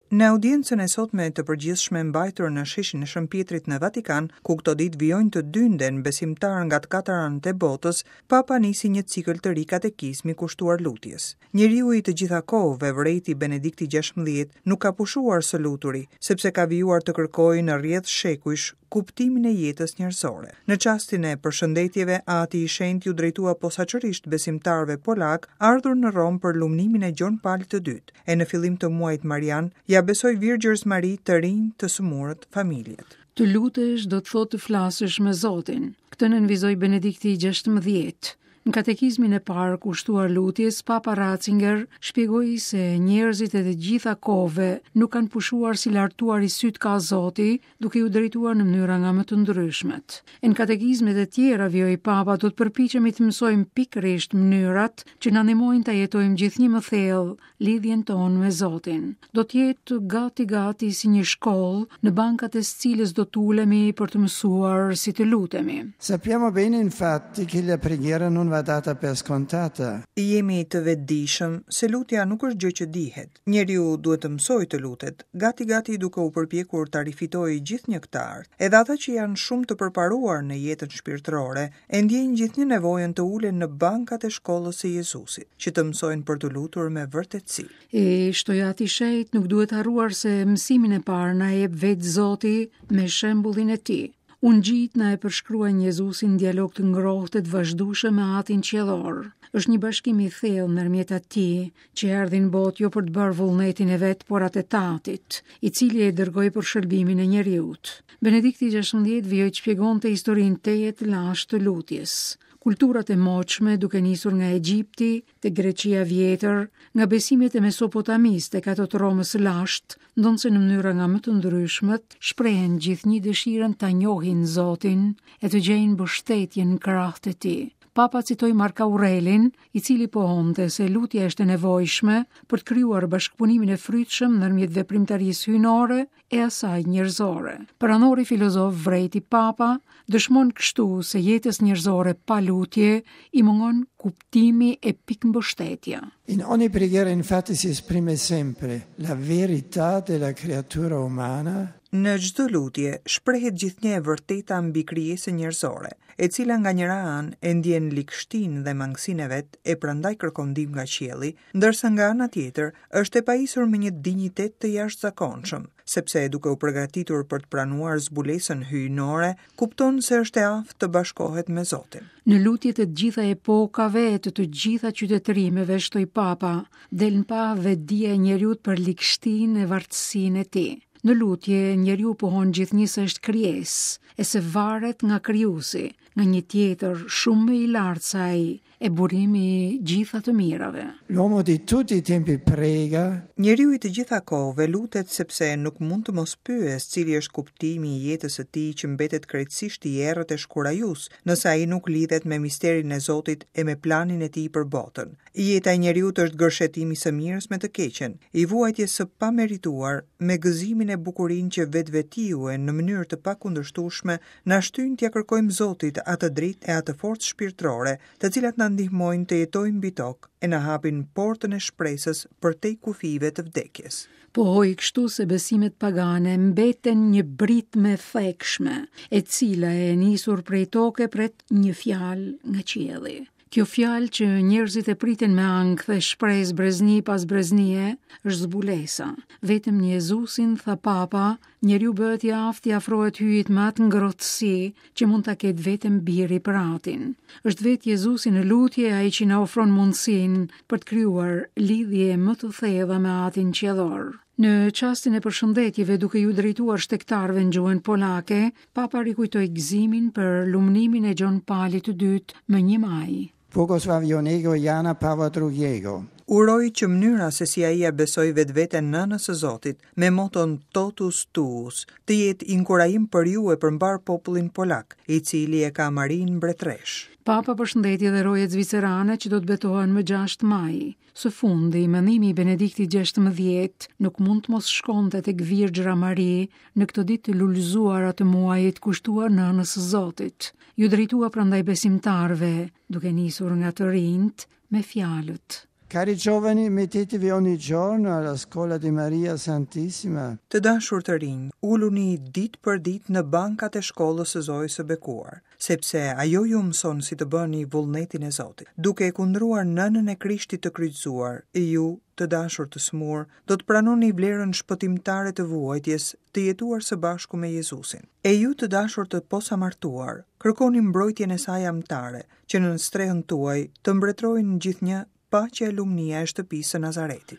Në audiencën e sotme të përgjithshme mbajtur në sheshin e Shën Pjetrit në Vatikan, ku këto ditë vijojnë të dynden besimtarë nga të katër anët e botës, Papa nisi një cikël të ri katekizmi kushtuar lutjes. Njeriu i të gjitha kohëve, vërejti Benedikti XVI, nuk ka pushuar së luturi, sepse ka vijuar të kërkojë në rrjedhë shekujsh kuptimin e jetës njerëzore. Në çastin e përshëndetjeve, Ati i Shenjtë iu drejtua posaçërisht besimtarëve polakë ardhur në Romë për lumnimin e Gjon Palit të Dytë, e në fillim të muajit Marian, ia besoi Virgjërës Mari të rinjtë, të sëmurët, familjet. Të lutesh do të thotë të flasësh me Zotin. Këtë nënvizoi Benedikti XVI. Në katekizmin e parë kushtuar lutjes, Papa Ratzinger shpjegoi se njerëzit e të gjitha kohëve nuk kanë pushuar së lartuari sytë kah Zoti, duke iu drejtuar në mënyra nga më të ndryshmet. E në katekizmet e tjera, vijoi Papa, do të përpiqemi të mësojmë pikërisht mënyrat që na ndihmojnë ta jetojmë gjithnjë më thellë lidhjen tonë me Zotin. Do të jetë gati gati si një shkollë në bankat e së cilës do të ulemi për të mësuar si të lutemi. Sappiamo bene infatti che la preghiera non va data per scontata. Jemi të vetëdijshëm se lutja nuk është gjë që dihet. Njeriu duhet të mësojë të lutet, gati-gati duke u përpjekur ta rifitojë gjithnjë këtë art. Edhe ata që janë shumë të përparuar në jetën shpirtërore, e ndjejnë gjithnjë nevojën të ulen në bankat e shkollës së Jezusit, që të mësojnë për t'u lutur me vërtetësi. E, shtoi Ati i Shenjtë, nuk duhet harruar se mësimin e parë na e jep vetë Zoti me shembullin e tij. Ungjijtë na e përshkruajnë Jezusin në dialog të ngrohtë e të vazhdueshëm me Atin Qiellor. Është një bashkim i thellë ndërmjet atij që erdhi në botë jo për të bërë vullnetin e vet, por atë të Atit, i cili e dërgoi për shëlbimin e njeriut. Benedikti XVI vijoi të shpjegonte historinë tejet të lashtë të lutjes. Kulturat e moçme, duke nisur nga Egjipti, te Greqia e Vjetër, nga besimet e Mesopotamisë tek ato të Romës së lashtë, ndonëse në mënyra nga më të ndryshmet, shprehen gjithnjë dëshirën ta njohin Zotin e të gjejnë mbështetjen në krahët e tij. Papa citoi Mark Aurelin, i cili pohonte se lutja është e nevojshme për të krijuar bashkëpunimin e frytshëm ndërmjet veprimtarisë hyjnore e asaj njerëzore. Perandori filozof vërejti Papa, dëshmon kështu se jetës njerëzore pa lutje i mungon kuptimi e pikëmbështetja. In ogni preghiera infatti si esprime sempre la verità della creatura umana. Në çdo lutje shprehet gjithnjë e vërteta mbi krijesën njerëzore, e cila nga njëra anë e ndjen ligështinë dhe mangësinë e vet e prandaj kërkon ndihmë nga qielli, ndërsa nga ana tjetër është e pajisur me një dinjitet të jashtëzakonshëm, sepse duke u përgatitur për të pranuar zbulesën hyjnore, kupton se është e aftë të bashkohet me Zotin. Në lutjet e të gjitha epokave e të të gjitha qytetërimeve, shtoi Papa, del në pah vetëdija e njeriut për ligështinë e vartësinë e tij. Në lutje, njeriu pohon gjithnjë se është krijesë, e se varet nga krijuesi, nga një tjetër shumë më i lartë se ai, e burimi i gjitha të mirave. L'uomo di tutti i tempi prega. Njeriu i të gjitha kohëve lutet sepse nuk mund të mos pyesë cili është kuptimi i jetës së tij që mbetet krejtësisht i errët e shkurajues, nëse ai nuk lidhet me misterin e Zotit e me planin e tij për botën. Jeta e njeriut është gërshetim i së mirës me të keqen, i vuajtjes së pamerituar me gëzimin e bukurinë që vetvetiu e në mënyrë të pakundërshtueshme Na shtyjnë t'ia kërkojmë Zotit atë dritë e atë forcë shpirtërore, të cilat na ndihmojnë të jetojmë mbi tokë e na hapin portën e shpresës përtej kufijve të vdekjes. Pohoi kështu se besimet pagane mbeten një britmë e thekshme, e cila e nisur prej toke pret një fjalë nga qielli. Kjo fjalë që njerëzit e pritin me ankth e shpresë brezni pas breznie, është zbulesa. Vetëm në Jezusin, tha Papa, njeriu bëhet i aftë t'i afrohet Hyjit me atë ngrohtësi që mund ta ketë vetëm biri për atin. Është vetë Jezusi në lutje ai që na ofron mundësinë për të krijuar lidhje më të thella me Atin Qiellor. Në çastin e përshëndetjeve duke iu drejtuar shtegtarëve në gjuhën polake, Papa rikujtoi gëzimin për lumnimin e Gjon Palit të Dytë më 1 maj. Błogosławionego Jana Pawła II. Uroj që mënyra se si ai ia besoi vetveten nënës së Zotit, me moton Totus Tuus, të jetë inkurajim për ju e për mbarë popullin polak, i cili e ka Marinë mbretëreshë. Papa përshëndeti edhe rojet zvicerane që do të betohen më 6 maj. Së fundi, mendimi i Benediktit XVI nuk mund të mos shkonte tek Virgjëra Mari në këto ditë të lulëzuara të muajit kushtuar Nënës së Zotit. Iu drejtua prandaj besimtarëve, duke nisur nga të rinjtë, me fjalët. Cari giovani, mettetevi ogni giorno alla scuola di Maria Santissima. Të dashur të rinj, uluni ditë për ditë në bankat e shkollës së Zojës së Bekuar, sepse ajo ju mëson si të bëni vullnetin e Zotit. Duke e kundruar nënën e Krishtit të kryqëzuar, ju, të dashur të sëmurë, do të pranoni vlerën shpëtimtare të vuajtjes, të jetuar së bashku me Jezusin. E ju, të dashur të posamartuar, kërkoni mbrojtjen e saj amtare, që nën strehën tuaj të mbretërojnë gjithnjë paqja e lumnia e shtëpisë së Nazaretit.